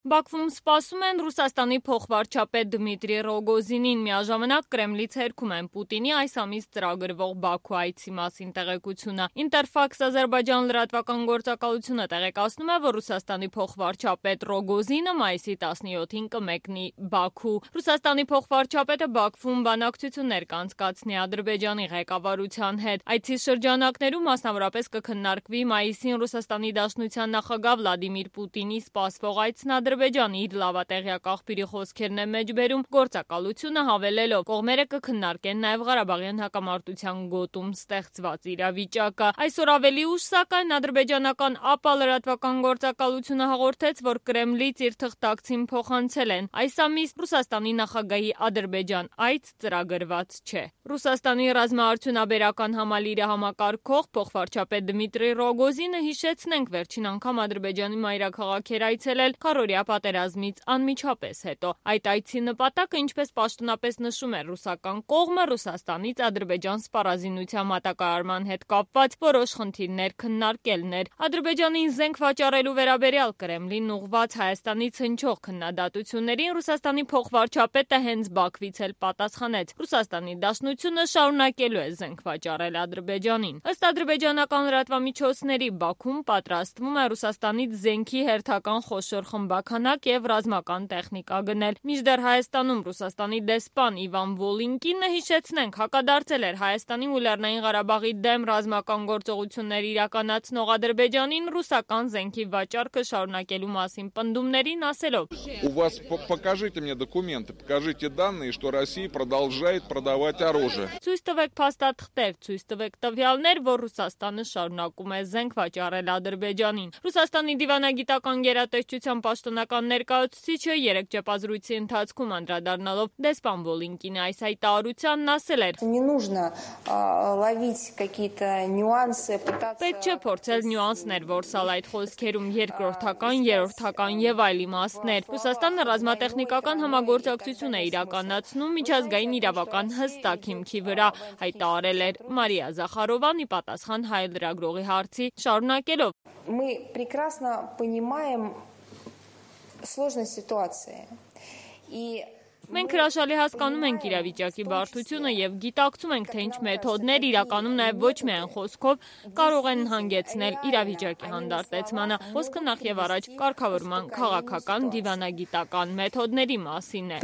Բաքվում սպասում են Ռուսաստանի փոխվարչապետ Դմիտրի Ռոգոզինին, միաժամանակ Կրեմլից հերքում են Պուտինի այս ամիս ծրագրվող Բաքու այցի մասին տեղեկությունը։ Ինտերֆաքս Ադրբեջան լրատվական գործակալությունը տեղեկացնում է, որ Ռուսաստանի փոխվարչապետ Ռոգոզինը մայիսի 17-ին կմեկնի Բաքու։ Ռուսաստանի փոխվարչապետը Բաքվում բանակցություններ կանցկացնի Ադրբեջանի ղեկավարության հետ։ Այցի շրջանակներում մասնավորապես կքննարկվի մայիսին Ռուսաստանի Դաշնության նախագահ Վլադիմիր Պուտինի սպասվող այցն Ադրբեջան իր լավատեղյակ աղբյուրի խոսքերն է մեջբերում գործակալությունը հավելելով կողմերը կքննարկեն նաև Ղարաբաղյան հակամարտության գոտում ստեղծված իրավիճակը։ Այսօր ավելի ուշ սակայն ադրբեջանական ԱՊԱ լրատվական գործակալությունը հաղորդեց, որ Կրեմլից իր թղթակցին փոխանցել են այս ամիս Ռուսաստանի նախագահի Ադրբեջան այց ծրագրված չէ։ Ռուսաստանի ռազմաարդյունաբերական համալիրը համակարգող փոխվարչապետ Դմիտրի Ռոգոզինը հիշեցնենք վերջին անգամ Ադրբեջանի մայրաքաղաք էր այցելել քառօրյա պատերազմից անմիջապես հետո։ Այդ այցի նպատակը, ինչպես պաշտոնապես նշում է ռուսական կողմը, Ռուսաստանից Ադրբեջան սպառազինության մատակարարման հետ կապված որոշ խնդիրներ քննարկելն էր։ Ադրբեջանին զենք վաճառելու վերաբերյալ Կրեմլին ուղղված Հայաստանից հնչող քննադատություններին Ռուսաստանի փոխվարչապետը հենց Բաքվից էլ պատասխանեց։ Ռուսաստանի Դաշնությունը շարունակելու է զենք վաճառել Ադրբեջանին։ Ըստ ադրբեջանական լրատվամիջոցների Բաքուն պատրաստվում է Ռուսաստանից զենքի հերթական խոշոր խմբաքանակ եւ ռազմական տեխնիկա գնել։ Մինչդեռ Հայաստանում Ռուսաստանի դեսպան Իվան Վոլինկինը, հիշեցնենք, հակադարձել էր Հայաստանի ու Լեռնային Ղարաբաղի դեմ ռազմական գործողություններ իրականացնող Ադրբեջանին ռուսական զենքի վաճառքը շարունակելու մասին պնդումներին, ասելով. У вас покажите мне документы, покажите данные, что Россия продолжает продавать оружие. Ցույց տվեք փաստաթղթեր, ցույց տվեք տվյալներ, որ Ռուսաստանը շարունակում է զենք վաճառել Ադրբեջանին։ Ռուսաստանի դիվանագիտական գերատեսչության պաշտոնական ներկայացուցիչը երեկ ճեպազրույցի ընթացքում անդրադառնալով դեսպան Վոլինկինի այս հայտարարությանն ասել էր. Պետք չէ փորձել նյուանսներ որսալ այդ խոսքերում, երկրորդական, երրորդական եւ այլ իմաստներ։ Ռուսաստանը ռազմատեխնիկական համագործակցություն է իրականացնում միջազգային իրավական հստակ հիմքի վրա, հայտարարել էր Մարիա Զախարովան ի պատասխան հայ լրագրողի հարցի, շարունակելով. Մենք հրաշալի հասկանում ենք իրավիճակի բարդությունը եւ գիտակցում ենք, թե ինչ մեթոդներ իրականում նաեւ ոչ միայն խոսքով կարող են հանգեցնել իրավիճակի հանդարտեցմանը։ Խոսքը նախ եւ առաջ կարգավորման քաղաքական դիվանագիտական մեթոդների մասին է։